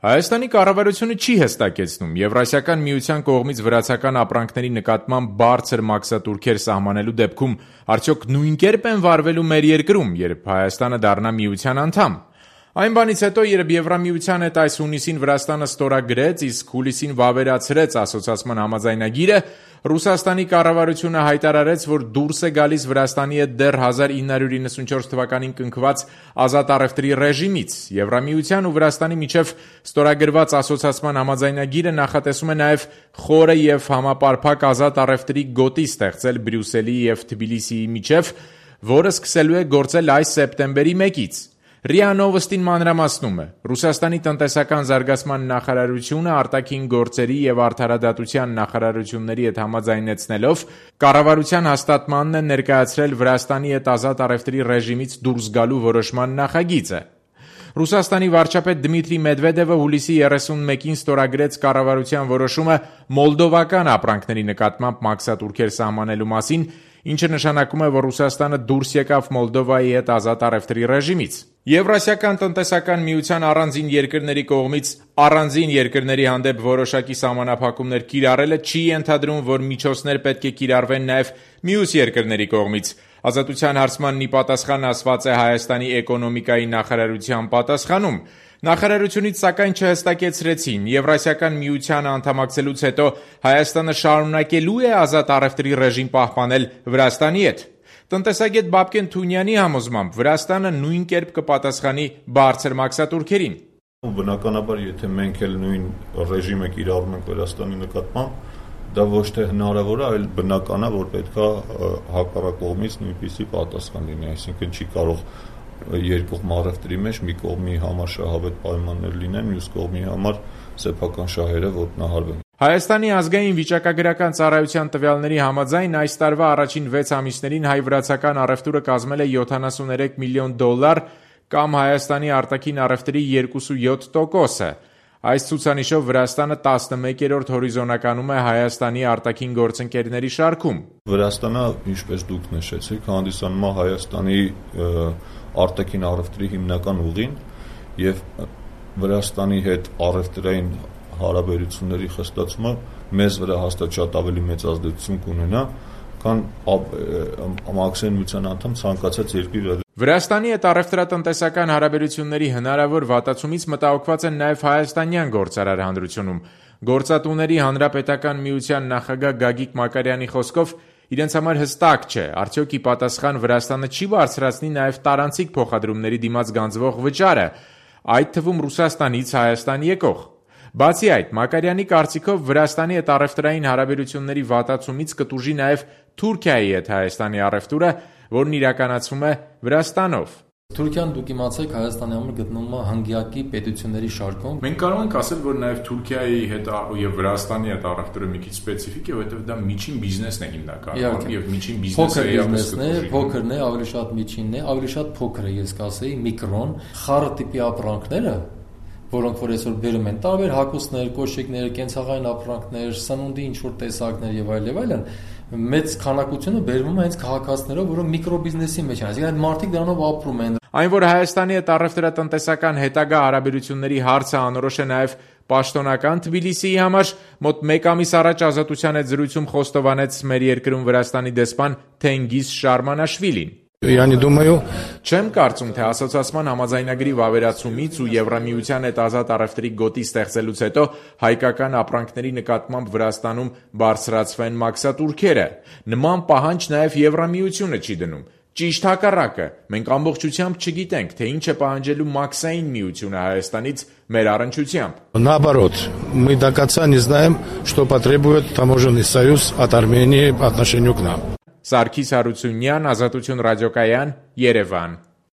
Հայաստանի կառավարությունը չի հստակեցնում Եվրասիական միության կողմից վրացական ապրանքների նկատմամբ բարձր մաքսատուրքեր սահմանելու դեպքում արդյոք նույն կերպ են վարվելու մեր երկրում, երբ Հայաստանը դառնա միության անդամ։ Այն բանից հետո, երբ Եվրամիության հետ այս հունիսին Վրաստանը ստորագրեց, իսկ հուլիսին վավերացրեց ասոցիացման համաձայնագիրը, Ռուսաստանի կառավարությունը հայտարարեց, որ դուրս է գալիս Վրաստանի հետ դեռ 1994 թվականին կնքված ազատ առևտրի ռեժիմից։ Եվրամիության ու Վրաստանի միջև ստորագրված ասոցիացման համաձայնագիրը նախատեսում է նաև խորը եւ համապարփակ ազատ առևտրի գոտի ստեղծել Բրյուսելի եւ Թբիլիսիի միջև, որը սկսելու է գործել այս սեպտեմբերի 1-ից։ ՌԻԱ Նովոստին մանրամասնում է. Ռուսաստանի տնտեսական զարգացման նախարարությունը արտաքին գործերի եւ արդարադատության նախարարությունների հետ համաձայնեցնելով կառավարության հաստատմանն է ներկայացրել Վրաստանի հետ ազատ առևտրի ռեժիմից դուրս գալու որոշման նախագիծը։ Ռուսաստանի վարչապետ Դմիտրի Մեդվեդևը հուլիսի 31-ին ստորագրեց կառավարության որոշումը մոլդովական ապրանքների նկատմամբ մաքսատուրքեր սահմանելու մասին, ինչը նշանակում է, որ Ռուսաստանը դուրս եկավ Մոլդովայի հետ ազատ առևտրի ռեժիմից։ Եվրասիական տնտեսական միության առանձին երկրների կողմից առանձին երկրների հանդեպ որոշակի սահմանափակումներ կիրառելը չի ենթադրում, որ միջոցներ պետք է կիրառվեն նաև մյուս երկրների կողմից։ Ազատության հարցմանն ի պատասխան ասված է Հայաստանի էկոնոմիկայի նախարարության պատասխանում։ Նախարարությունից սակայն չհստակեցրեցին Եվրասիական միությանը անդամակցելուց հետո Հայաստանը շարունակելու է ազատ առևտրի ռեժիմ պահպանել Վրաստանի հետ։ Տնտեսագետ Բաբկեն Թունյանի համոզմամբ Վրաստանը նույն կերպ կպատասխանի բարձր մաքսատուրքերին։ Բնականաբար, եթե մենք էլ նույն ռեժիմը կիրառում ենք Վրաստանի նկատմամբ, դա ոչ թե հնարավոր է, այլ բնական է, որ պետքա հակառակ կողմից նույնպիսի պատասխան լինի, այսինքն չի կարող երկկողմ առևտրի մեջ մի կողմի համար շահավետ պայմաններ լինեն, մյուս կողմի համար սեփական շահերը ոտնահարվեն։ Հայաստանի ազգային վիճակագրական ծառայության տվյալների համաձայն այս տարվա առաջին 6 ամիսներին հայ-վրացական առևտուրը կազմել է $73 միլիոն կամ Հայաստանի արտաքին առևտրի 2.7%-ը։ Այս ցուցանիշով Վրաստանը 11-րդ հորիզոնականում է Հայաստանի արտաքին գործընկերների շարքում։ Վրաստանը, ինչպես դուք նշեցիք, հանդիսանում է Հայաստանի արտաքին առևտրի հիմնական ուղին եւ Վրաստանի հետ առևտրային հարաբերությունների խստացումը մեզ վրա հաստատ շատ ավելի մեծ ազդեցություն կունենա, քան Մաքսային միության անդամ ցանկացած երկրի վրա։ Վրաստանի հետ առևտրատնտեսական հարաբերությունների հնարավոր վատացումից մտահոգված են նաև հայաստանյան գործարար հանրությունում։ Գործատուների հանրապետական միության նախագահ Գագիկ Մակարյանի խոսքով իրենց համար հստակ չէ, արդյոք ի պատասխան Վրաստանը չի բարձրացնի նաև տարանցիկ փոխադրումների դիմաց գանձվող վճարը, այդ թվում Ռուսաստանից Հայաստան եկող։ Բացի այդ, Մակարյանի կարծիքով Վրաստանի հետ առևտրային հարաբերությունների վատացումից կտուժի նաև Թուրքիայի հետ Հայաստանի առևտուրը, որն իրականացվում է Վրաստանով։ Թուրքիան, դուք իմացեք, Հայաստանի համար գտնվում է հնգյակի պետությունների շարքում։ Մենք կարող ենք ասել, որ նաև Թուրքիայի հետ եւ Վրաստանի հետ առևտուրը մի քիչ սպეციფիկ է, որովհետեւ դա միջին բիզնեսն է հիմնականում, եւ միջին բիզնեսը փոքրն է, ավելի շատ միջինն է, ավելի շատ փոքր է, ես կասեի, միկրոն, խառը տիպի ապրանքները, որոնք որ այսօր բերում են տարբեր հագուստներ, կոշիկներ, կենցաղային ապրանքներ, սնունդի ինչ-որ տեսակներ եւ այլն, մեծ քանակությունը բերվում է հենց քաղաքացիներով, որոնք միկրոբիզնեսի մեջ են, այսինքն այդ մարդիկ դրանով ապրում են։ Այն, որ Հայաստանի հետ առևտրատնտեսական հետագա հարաբերությունների հարցը անորոշ է նաև պաշտոնական Թբիլիսիի համար, մոտ 1 ամիս առաջ Ազատության հետ զրույցում խոստովանեց մեր երկրում Վրաստանի դեսպան Թենգիզ Շարմանաշվիլին։ Չեմ կարծում, թե ասոցիացման համաձայնագրի վավերացումից ու Եվրամիության հետ ազատ առևտրի գոտի ստեղծելուց հետո հայկական ապրանքների նկատմամբ Վրաստանում բարձրացվեն մաքսատուրքերը։ Նման պահանջ նաև Եվրամիությունը չի դնում։ Ճիշտ հակառակը, մենք ամբողջությամբ չգիտենք, թե ինչ է պահանջելու Մաքսային միությունը Հայաստանից մեր առնչությամբ։ Наоборот, мы до конца не знаем, что потребует таможенный союз от Армении по отношению к нам. Սարգիս Հարությունյան, Ազատություն ռադիոկայան, Երևան։